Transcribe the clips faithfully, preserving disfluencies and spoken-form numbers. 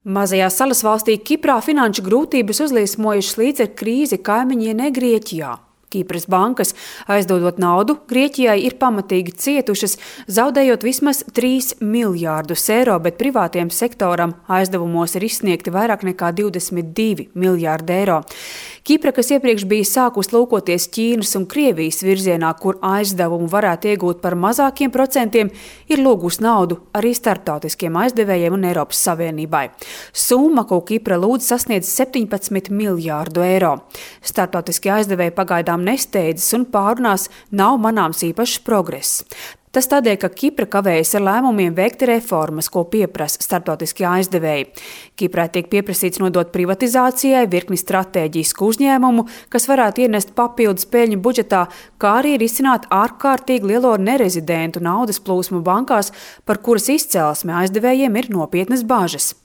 Mazajā salas valstī Kiprā finanšu grūtības uzliesmojušas līdz ar krīzi kaimiņienē Grieķijā. Kipras bankas, aizdodot naudu, Grieķijai ir pamatīgi cietušas, zaudējot vismaz trīs miljārdus eiro, bet privātiem sektoram aizdevumos ir izsniegti vairāk nekā divdesmit divi miljārdi eiro. Kipra, kas iepriekš bija sākus lūkoties Ķīnas un Krievijas virzienā, kur aizdevumu varētu iegūt par mazākiem procentiem, ir lūgus naudu arī starptautiskiem aizdevējiem un Eiropas Savienībai. Summa, ko Kipra lūdz, sasniedz septiņpadsmit miljārdu eiro. Starptautiskie aizdevēji pagaidām nesteidzas un pārunās nav manāms īpašs progress. Tas tādēļ, ka Kipra kavējas ar lēmumiem veikt reformas, ko pieprasa starptautiskie aizdevēji. Kiprai tiek pieprasīts nodot privatizācijai virkni stratēģisku uzņēmumu, kas varētu ienest papildus peļņu budžetā, kā arī risināt ārkārtīgi lielo nerezidentu naudas plūsmu bankās, par kuras izcelsme aizdevējiem ir nopietnas bažas.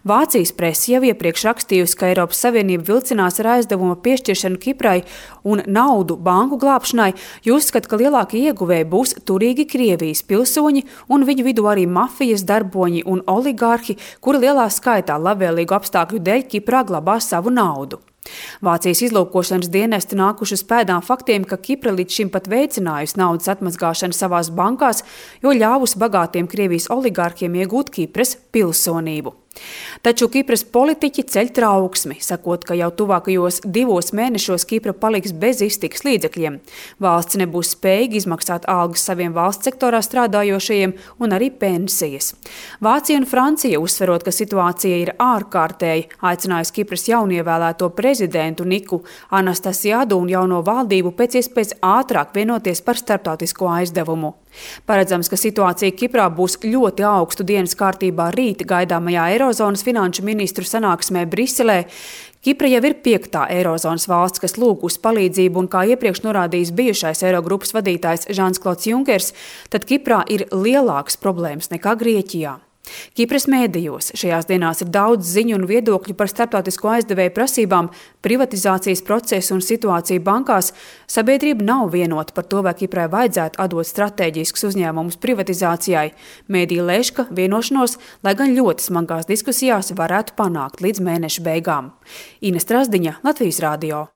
Vācijas prese jau iepriekš rakstījusi, ka Eiropas Savienība vilcinās ar aizdevumu piešķiršanu Kiprai un naudu banku glābšanai, jo uzskata, ka lielākie ieguvēji būs turīgi Krievijas pilsoņi un viņu vidū arī mafijas darboņi un oligārhi, kuri lielā skaitā labvēlīgu apstākļu dēļ Kiprā glabā savu naudu. Vācijas izlūkošanas dienesti nākuši uz pēdām faktiem, ka Kipra līdz šim pat veicinājusi naudas atmazgāšanu savās bankās, jo ļāvusi bagātiem Krievijas oligārkiem iegūt Kipras pilsonību. Taču Kipras politiķi ceļ trauksmi, sakot, ka jau tuvākajos divos mēnešos Kipra paliks bez iztikas līdzekļiem. Valsts nebūs spējīga izmaksāt algas saviem valsts sektorā strādājošajiem un arī pensijas. Vācija un Francija, uzsverot, ka situācija ir ārkārtēji, aicinājusi Kipras jaunievēlēto prezidentu Niku Anastasiādu un jauno valdību pēc iespējas ātrāk vienoties par starptautisko aizdevumu. Paredzams, ka situācija Kiprā būs ļoti augstu dienas kārtībā rīt gaidāmajā Eirozonas finanšu ministru sanāksmē Briselē. Kipra jau ir piektā Eirozonas valsts, kas lūg uz palīdzību, un kā iepriekš norādījis bijušais Eirogrupas vadītājs Žans-Klods Junkers, tad Kiprā ir lielākas problēmas nekā Grieķijā. Kipras mēdījos šajās dienās ir daudz ziņu un viedokļu par starptautisko aizdevēju prasībām, privatizācijas procesu un situāciju bankās. Sabiedrība nav vienota par to, vai Kiprai vajadzētu atdot stratēģiskus uzņēmumus privatizācijai. Mēdī lēš, ka vienošanos, lai gan ļoti smagās diskusijās, varētu panākt līdz mēneša beigām. Ines Trasdiņa, Latvijas radio.